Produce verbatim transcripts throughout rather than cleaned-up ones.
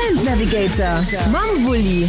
Event Navigator mam Wulli.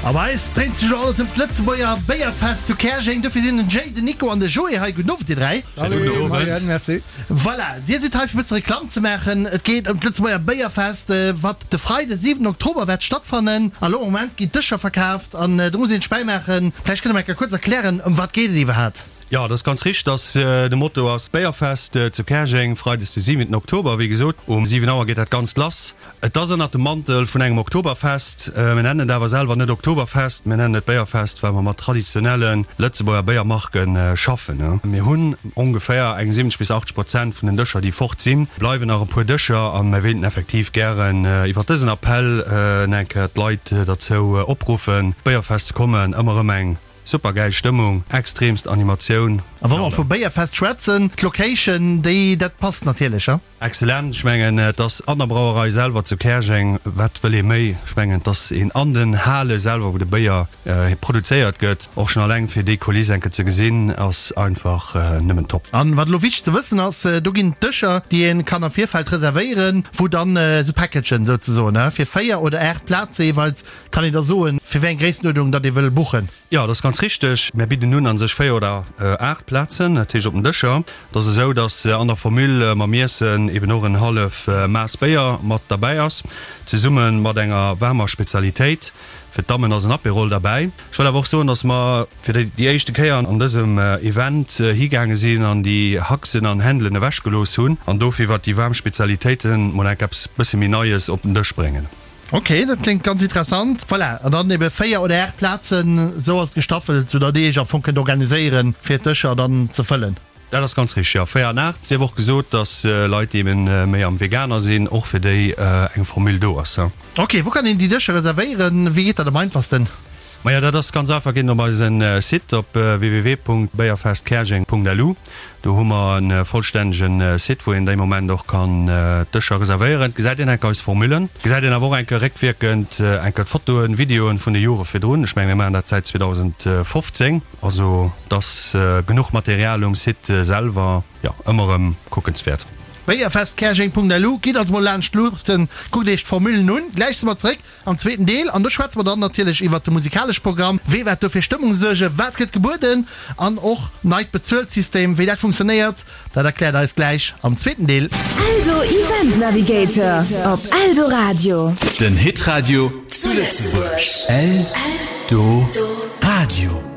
A bei eis dréint sech elo alles ëm d'Lëtzebuerger Béierfest zu Käerjeng. Dofir sinn den Jay, den Nico an de Joé hei. Gudden Owend, dir dräi. Salut, moien, merci. Voilà, dir sidd hei fir e bësse Reklamm ze maachen. Et geet ëm d'Lëtzebuerger Béierfest, wat de Freide siwenten Oktober wäert stattfannen. A lo am Moment ginn d'Dëscher verkaaft an do muss een sech bäimaachen. Vläicht kënnt der mer eng Kéier kuerz erklären, ëm wat geet et iwwerhaapt? Jo, dat ass ganz richteg, dass de Motto ass Béierfest zu Käerjeng, freides de siwenten Oktober. Wéi gesot, um siwen Auer geet dat Ganzt lass. Et ass ënnert dem Mantel vun engem Oktoberfest. Mir nennen et awer selwer net Oktoberfest, mir nennen et Béierfest, well mer mat traditionelle Lëtzebuerger Béiermarke schaffen. Mir hunn ongeféier eng siwwenzeg bis achtzeg Prozent vun den Dëscher, déi fort sinn. Bleiwen nach e puer Dëscher a mir wéilten effektiv gären iwwer dësen Appell eng Kéier d'Leit derzou opruffen, d'Béierfest ze kommen. Ëmmer erëm eng super gäil Stëmmung, extremst Animatioun. A wa mer vu Béierfest schwätzen, d'Location, déi, dat passt natierlech, he? Excellent, ech mengen et ass an der Brauerei selwer zu Käerjeng, wat wëll ee méi? Ech mengen et ass een an den Hale selwer wou de Béier produzéiert gëtt, och schon alleng fir déi Kuliss enke ze gesinn ass einfach nëmmen top. An wat elo wichteg ze wëssen ass, do ginn et Dëscher déi een kann am Virfeld reservéieren, wou dann esou Packagen souzesoen, he, fir véier oder aacht Plaze jeeweils, kann een da soen fir wéi eng Gréisstenuerdnung datt ee wëll buchen. Jo, dat ass ganz richteg. Mär bidden un a sech véier oder aacht Plazen, dat heescht op den Dëscher. Et ass esou, datt an der Formule mam Iessen eben och en hallef Maass Béier mat derbäi ass, zesumme mat enger waarmer Spezialitéit. Fir d'Dammen ass en Apérol derbäi. Ech wëll awer och soen, datt mer fir déi éischte Kéier an dësem Event higaange sinn an déi Haxen an Händelen ewechgelooss hunn an dofir iwwert déi waarm Spezialitéiten mol enk eppes bësse méi Neies op den Dësch bréngen. Ok, dat kléngt ganz interessant. Voilà, an dann ebe véier oder aacht Plazen, esou ass et gestaffelt, sou datt Dir Iech am Fong kënnt organiséieren, fir d'Dëscher dann ze fëllen. Dat ass ganz richteg, jo, véier an aacht. Sief och gesot, datt Leit, déi eben méi am Veganer sinn, och fir déi eng Formule do ass. Ok, wou kann een déi Dëscher reservéieren? Wéi geet dat am einfachsten? Majo, dat ass ganz einfach, geet op eisen Site op www.béierfestkäerjeng.lu. Do hu mer e vollstännege Site, wou een dee Moment och kann d'Dëscher reservéieren. Et gesäit een enke eis Formulen, et gesäit een awer och enke réckwierkend enke d'Fotoen, Videoen vun de Jore virdrun. Ech mengen, mir maachen dat säit zweedausendfofzéng also et ass genuch Material um Site selwer, jo, ëmmer erëm kuckenswäert. Béierfestkäerjeng.lu, Gitt also mol laanscht luuchten, kuckt iech d'Formulen un. Gläich si mer zeréck am zweeten Deel an do schwätze mer dann natierlech iwwert de musikalesche Programm, wee wäert do fir Stëmmung suergen, wat gëtt gebueden an och neit Bezuelsystem, wéi dat funktionéiert, dat erkläert eis gläich am zweeten Deel. Eldo Event Navigator op Eldoradio. Den Hitradio zu Lëtzebuerg. Eldoradio.